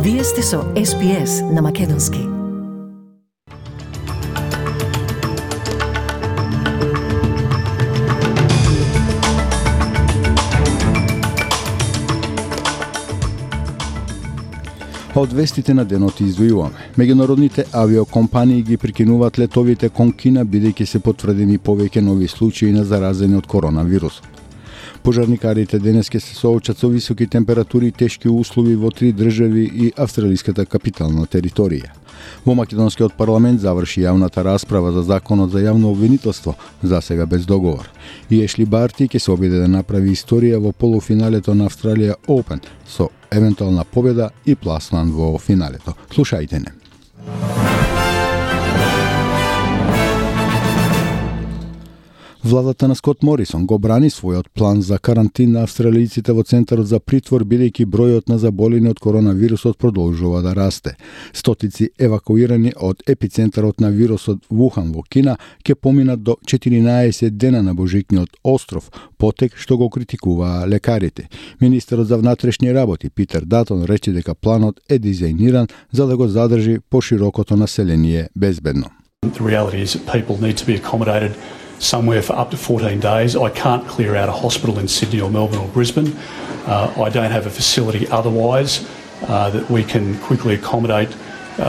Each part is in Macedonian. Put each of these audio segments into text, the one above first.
Вие сте со SPS на Македонски. Од вестите на денот издвојуваме. Меѓународните авиокомпании ги прекинуваат летовите кон Кина бидејќи се потврдени повеќе нови случаи на заразени од коронавирусот. Пожарникарите денес ќе се соочат со високи температури и тешки услови во 3 држави и австралиската капитална територија. Во Македонскиот парламент заврши јавната расправа за законот за јавно обвинителство, засега без договор. И Ешли Барти ќе се обиде да направи историја во полуфиналето на Австралија Open со евентуална победа и пласман во финалето. Слушајте не. Владата на Скот Морисон го брани својот план за карантин на австралијците во центарот за притвор, бидејќи бројот на заболени од коронавирусот продолжува да расте. Стотици евакуирани од епицентарот на вирусот Вухан во Кина ќе поминат до 14 дена на Божикниот остров, потек што го критикуваа лекарите. Министерот за внатрешни работи Питер Датон рече дека планот е дизајниран за да го задржи поширокото население безбедно. The reality is that people need to be accommodated somewhere for up to 14 days. I can't clear out a hospital in Sydney or Melbourne or Brisbane. I don't have a facility otherwise that we can quickly accommodate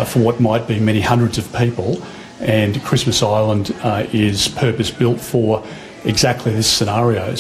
for what might be many hundreds of people. And Christmas Island is purpose-built for exactly this scenario.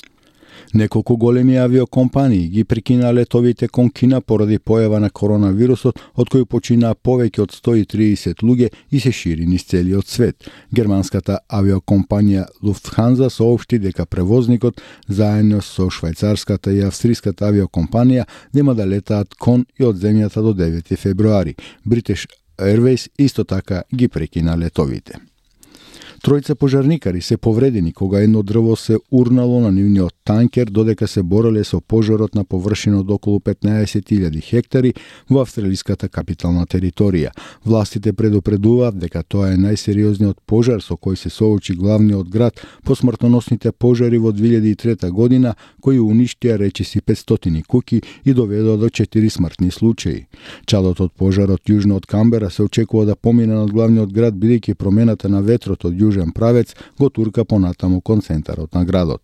Неколку големи авиокомпании ги прекина летовите кон Кина поради појава на коронавирусот, од кој починаа повеќе од 130 луѓе и се шири низ целиот свет. Германската авиокомпанија Lufthansa соопшти дека превозникот заедно со швајцарската и австриската авиокомпанија нема да летаат кон и од земјата до 9 февруари. British Airways исто така ги прекина летовите. Тројца пожарникари се повредени кога едно дрво се урнало на нивниот танкер додека се бореле со пожарот на површина од околу 15.000 хектари во австралиската капитална територија. Властите предупредуваат дека тоа е најсериозниот пожар со кој се соочи главниот град по смртоносните пожари во 2003 година, кои уништија речиси 500 куќи и доведоа до 4 смртни случаи. Чадот од пожарот јужно од Камбера се очекува да помине над главниот град бидејќи промената на ветрот од јужен правец го турка понатаму кон центарот на градот.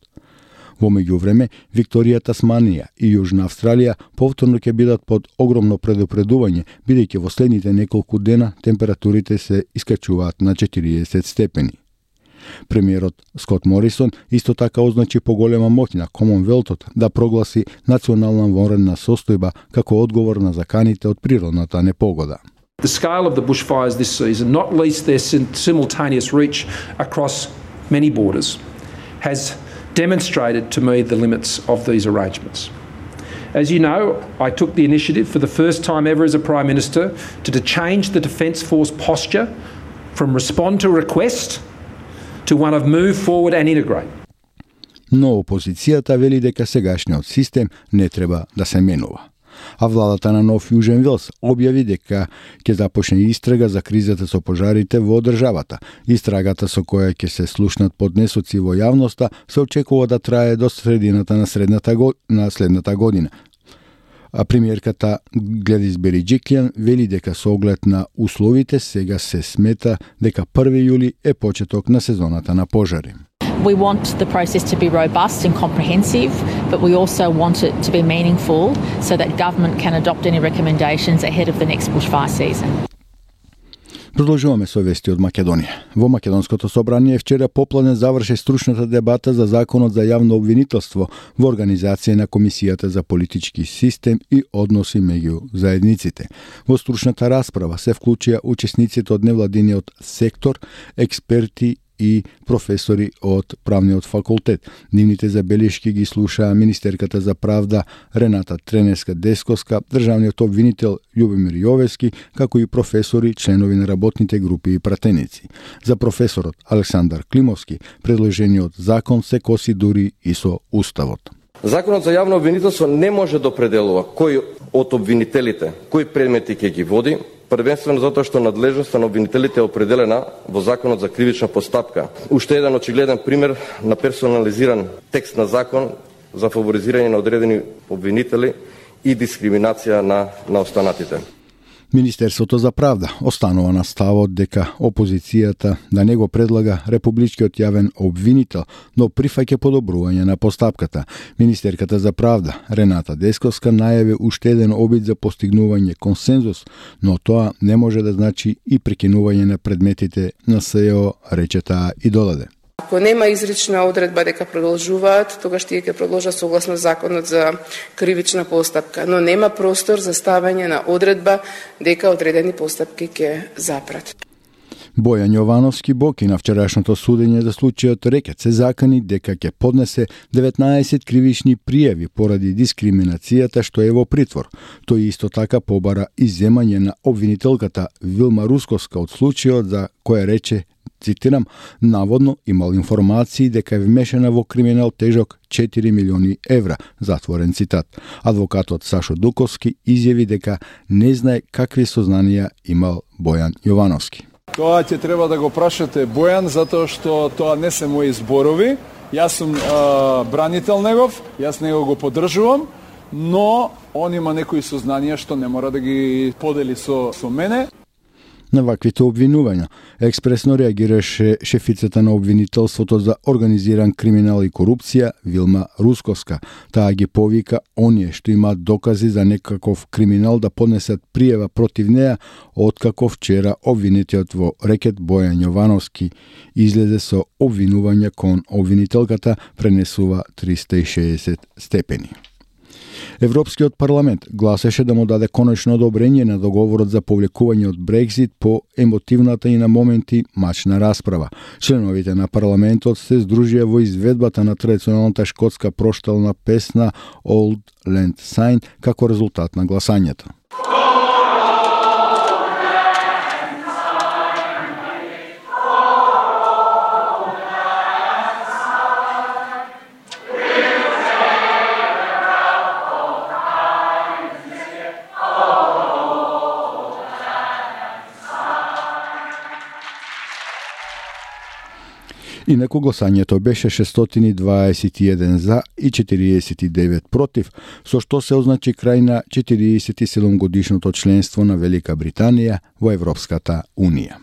Во меѓувреме, Викторија, Тасманија и Јужна Австралија повторно ќе бидат под огромно предупредување, бидејќи во следните неколку дена температурите се искачуваат на 40 степени. Премиерот Скот Морисон исто така означи поголема моќ на Комонвелтот да прогласи национална вонредна состојба како одговор на заканите од природната непогода. The scale of the bushfires this season, not least their simultaneous reach across many borders, has demonstrated to me the limits of these arrangements. As you know, I took the initiative for the first time ever as a Prime Minister to change the Defence Force posture from respond to request to one of move forward and integrate. Но опозицијата вели дека сегашниот систем не треба да се менува. А владата на Нов Јужен Велс објави дека ќе започне истрага за кризата со пожарите во државата. Истрагата со која ќе се слушнат поднесоци во јавноста се очекува да трае до средината на следната година. А премиерката Гледис Бериџиклјан вели дека со оглед на условите сега се смета дека 1 јули е почеток на сезоната на пожари. We want the process to be robust and comprehensive, but we also want it to be meaningful so that government can adopt any recommendations ahead of the next bushfire season. Продолжуваме со вести од Македонија. Во Македонското собрание вчера попладне заврши стручната дебата за законот за јавно обвинителство во организација на Комисијата за политички систем и односи меѓу заедниците. Во стручната расправа се вклучија учесниците од невладиниот сектор, експерти и професори од правниот факултет. Нивните забелешки ги слушаа министерката за правда Рената Тренеска-Десковска, државниот обвинител Љубомир Јовески, како и професори, членови на работните групи и пратеници. За професорот Александар Климовски, предложениот закон се коси дури и со уставот. Законот за јавно обвинителство не може да определува кој од обвинителите, кои предмети ќе ги води, првенствено затоа што надлежноста на обвинителите е определена во Законот за кривична постапка. Уште еден очигледен пример на персонализиран текст на закон за фаворизирање на одредени обвинители и дискриминација на останатите. Министерството за правда останува на ставот дека опозицијата да не го предлага републичкиот јавен обвинител, но прифаќа подобрување на постапката. Министерката за правда Рената Десковска најави уште еден обид за постигнување консензус, но тоа не може да значи и прекинување на предметите на СЕО, рече таа и додаде. Ако нема изрична одредба дека продолжуваат, тогаш тие ќе продолжат согласно законот за кривична постапка, но нема простор за ставање на одредба дека одредени постапки ќе запрат. Бојан Јовановски Боки на вчерашното судење за случајот Рекет се закани дека ќе поднесе 19 кривични пријави поради дискриминацијата што е во притвор. Тој исто така побара изземање на обвинителката Вилма Русковска од случајот за која рече, цитирам, наводно имал информации дека е вмешана во криминал тежок 4 милиони евра, затворен цитат. Адвокатот Сашо Дуковски изјави дека не знае какви сознанија имал Бојан Јовановски. Тоа ќе треба да го прашате Бојан, затоа што тоа не се мои зборови. Јас сум бранител негов, јас него го поддржувам, но он има некои сознанија што не мора да ги подели со мене. На ваквите обвинувања експресно реагираше шефицата на обвинителството за организиран криминал и корупција Вилма Русковска. Таа ги повика оние што имаат докази за некаков криминал да поднесат пријава против неа, откако вчера обвинетиот во Рекет Бојан Јовановски излезе со обвинување кон обвинителката, пренесува 360 степени. Европскиот парламент гласеше да му даде конечно одобрење на договорот за повлекување од Брекзит по емотивната и на моменти мачна расправа. Членовите на парламентот се здружија во изведбата на традиционалната шкотска проштална песна Old Lang Syne како резултат на гласањето. Инаку гласањето беше 621 за и 49 против, со што се означи крај на 47 годишното членство на Велика Британија во Европската Унија.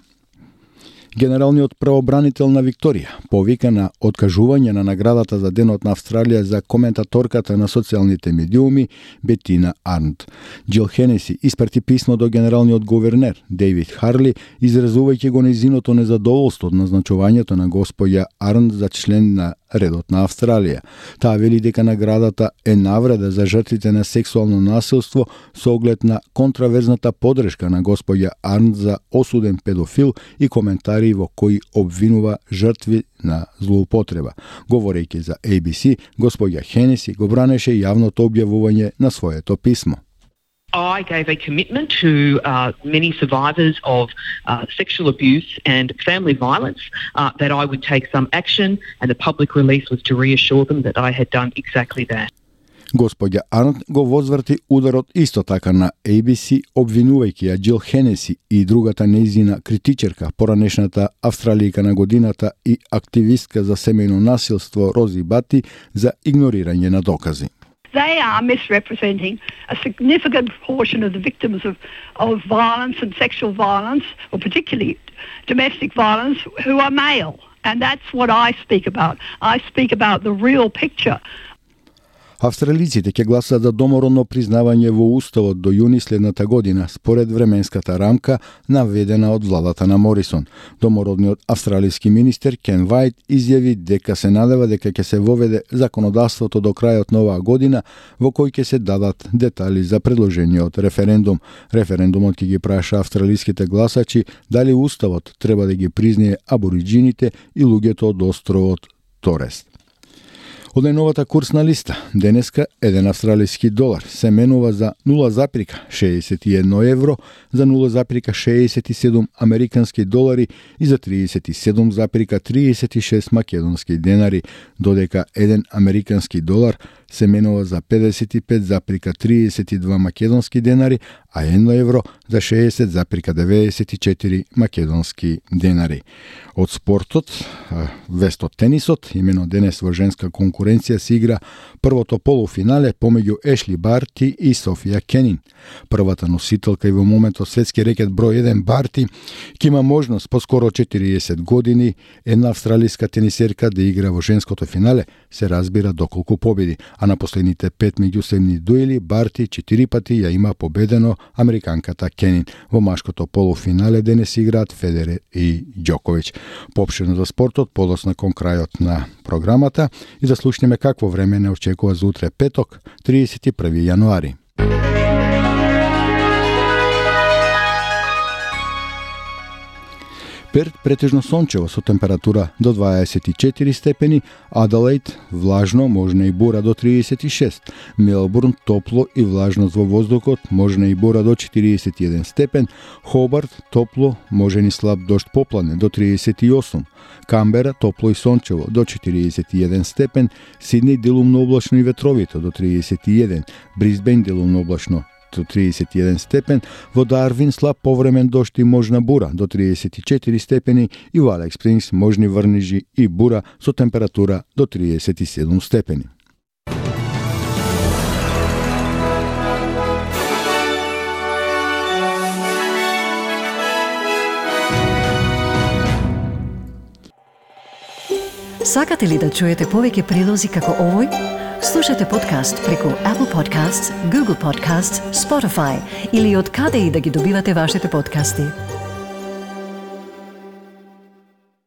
Генералниот правобранител на Викторија повика на откажување на наградата за Денот на Австралија за коментаторката на социјалните медиуми Бетина Арнт. Джил Хенеси испрати писмо до генералниот гувернер Дейвид Харли, изразувајќи го нејзиното незадоволство од назначувањето на госпоја Арнт за член на редот на Австралија. Таа вели дека наградата е навреда за жртвите на сексуално насилство со оглед на контраверзната подршка на госпоја Арнт за осуден педофил и коментари во кои обвинува жртви на злоупотреба. Говорејќи за ABC, госпоја Хенеси го бранеше јавното објавување на своето писмо. I gave a commitment to many survivors of sexual abuse and family violence that I would take some action, and the public release was to reassure them that I had done exactly that. Господја Арнт го возврти ударот исто така на ABC, обвинувајќи ја Джил Хенеси и другата нејзина критичерка, поранешната австралијка на годината и активистка за семејно насилство Рози Бати, за игнорирање на докази. They are misrepresenting a significant proportion of the victims of violence and sexual violence, or particularly domestic violence, who are male. And that's what I speak about. I speak about the real picture. Австралиците ќе гласат за домородно признавање во уставот до јуни следната година, според временската рамка наведена од владата на Морисон. Домородниот австралиски министер Кен Вајт изјави дека се надева дека ќе се воведе законодавството до крајот на оваа година, во кој ќе се дадат детали за предложениот референдум. Референдумот ќе ги праша австралиските гласачи дали уставот треба да ги признае абориџините и луѓето од островот Торест. Од најновата курсна листа, денеска еден австралиски долар се менува за 0,61 евро, за 0,67 американски долари и за 37,36 македонски денари, додека еден американски долар се менува за 55,32 македонски денари, а 1 евро за 60,94 македонски денари. Од спортот, вест од тенисот, имено денес во женска конкуренција се игра првото полуфинале помеѓу Ешли Барти и Софија Кенин. Првата носителка и во моментот светски рекет број 1 Барти ќе има можност по скоро 40 години една австралиска тенисерка да игра во женското финале, се разбира доколку победи, а на последните 5 меѓусебни дуели Барти 4 пати ја има победено американката Кенин. Во машкото полуфинале денес играат Федерер и Ѓоковиќ. Поопштено за спортот, подоцна кон крајот на програмата и да слушнеме какво време не очекува за утре петок, 31 јануари. Перт претежно сончево со температура до 24 степени, Аделаид влажно, можна и бура до 36, Мелбурн топло и влажност во воздухот, можна и бура до 41 степен, Хобарт топло, можен и слаб дожд поплане до 38, Камбера топло и сончево до 41 степен, Сидни делумно облачно и ветровито до 31, Брисбен делумно облачно до 31 степен, во Дарвин слаб повремен дожд и можна бура до 34 степени и во Алекс Спрингс можни врнежи и бура со температура до 37 степени. Сакате ли да чуете повеќе прилози како овој? Слушате подкаст преку Apple Podcasts, Google Podcasts, Spotify или од каде и да ги добивате вашите подкасти.